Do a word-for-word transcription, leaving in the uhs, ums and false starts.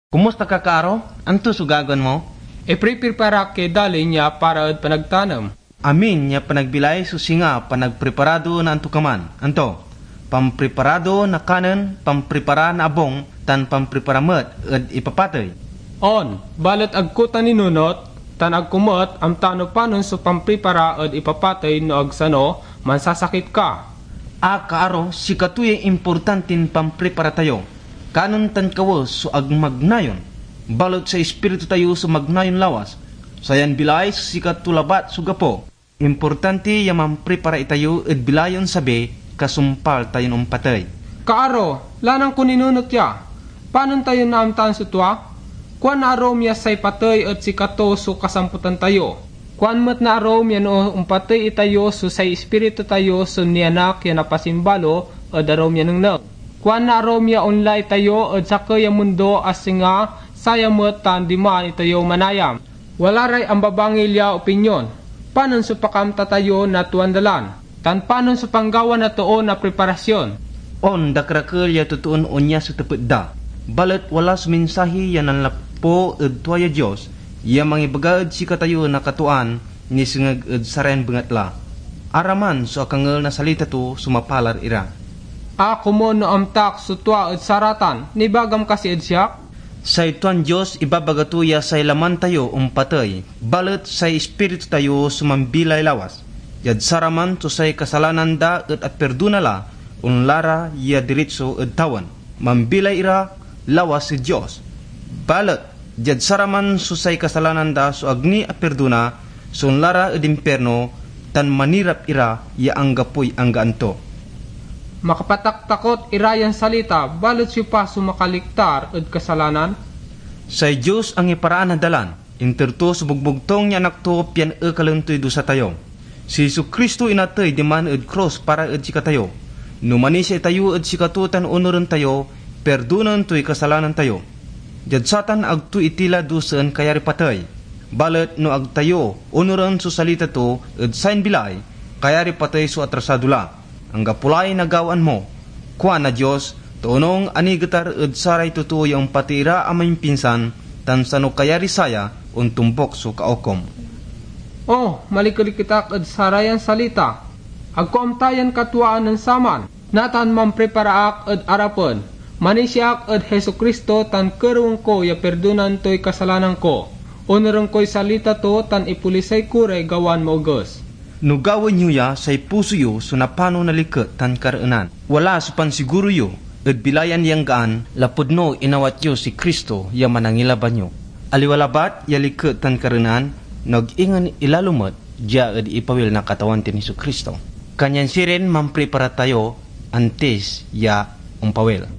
Kumusta ka, kaaro? Anto so gagawaen mo? Ipripripara ak ya dalin ya para ed panagtanem. Amin ya panagbilay so singa panagpriparado na antokaman. Anto? Pampriparado na kanen, pampripara na abung, tan pampripara met ed ipapatey. On, balet ag ko ta ninunot, tan ag ko met amta no panon so pampripara ed ipapatey, no ag sano, mansasakit ka. A, kaaro, sikato yay importantin pampripara tayo. Kanen tan kawes so ag magnayon, balet say ispiritu tayo so magnayon lawas. Sayan bilay so sikato labat so gapo. Importante ya mampripara itayo ed bilay ya onsabi kasumpal tayon ompatey. Kaaro, lanang ko ninunot ya. Panon tayo naamtaan so tua? Kuan na arum ya say patey et sikato so kasamputan tayo. Kuan met na arum ya no ompatey itayo so say ispiritu tayo so nianak ya napasimbalo ed arum ya nengneng. Kuan na arum ya onla itayo ed sakey a mundo a singa saya met tan diman itayo manayam. Wala ray ambabangil ya opinyon. Panon so pakaamta tayo na tuan dalan? Tan panon so panggawa na too na preparasyon? On, dakerakel ya totoon onya so tepet da. Balet wala so mensahe ya nanlapu ed tua ya Dios ya mangibaga ed sikatayo na katuaan nisengeg ed sarayan bengatla. Araman so akangel na salita to so mapalar ira. A, komun no amtak so tua ed saratan, nibagam kasi ed siak? Say tuan Dios ibabaga to ya say laman tayo ompatey, balet say ispiritu tayo so mambilay lawas. Diad saraman so say kasalanan da et aperdona la, onla ra ya diritso ed tawen. Mambilay ira lawas ed Dios. Balet diad saraman so say kasalanan da so ag ni aperdona, so onla ra ed impirno, tan manirap ira ya anggapoy anggaan to. Makapataktakot ira yan salita, balet siopa so makaliktar ed kasalanan? Say Dios angiparaan na dalan, inter to so bogbogtung ya Anak to pian ekalen toy dusa tayo. Si Jesu-Cristo inatey diman ed krus para ed sikatayo. No manisia itayo ed sikato tan onuren tayo, perdonaen toy kasalanan tayo. Diad satan ag to iti la dusaen kayari patey. Balet no ag tayo onuren so salita to ed sayan bilay, kayari patey so atrasado la. Anggapo lay nagawaan mo, kuan na Dios, ta onung a nigetar ed saray totoo ya ompatey ira a mampinsan, tan sano kayari saya, ontombok so kaokom. Oh, malikeliket ak ed sarayan salita. Ag ko amta yan katuaan nen saman. Natan mampripara ak ed arapen. Manisia ak ed Jesu-Cristo tan kerewen ko ya perdonan toy kasalanan ko. Onuren koy salita to tan ipolisay ko ray gawan maoges. No gawaen yo ya, say puso yo so napano na liket tan kareenan. Wala so pansiguro yo ed bilay ya anggaan, lapud no inawat yo si Cristo ya Manangilaban yo. Aliwa labat ya liket tan kareenan, no ag ingen ilalo met dia ed ipawil na Katawan tin Jesu-Cristo. Kanyan sirin mampripara tayo antis ya ompawil.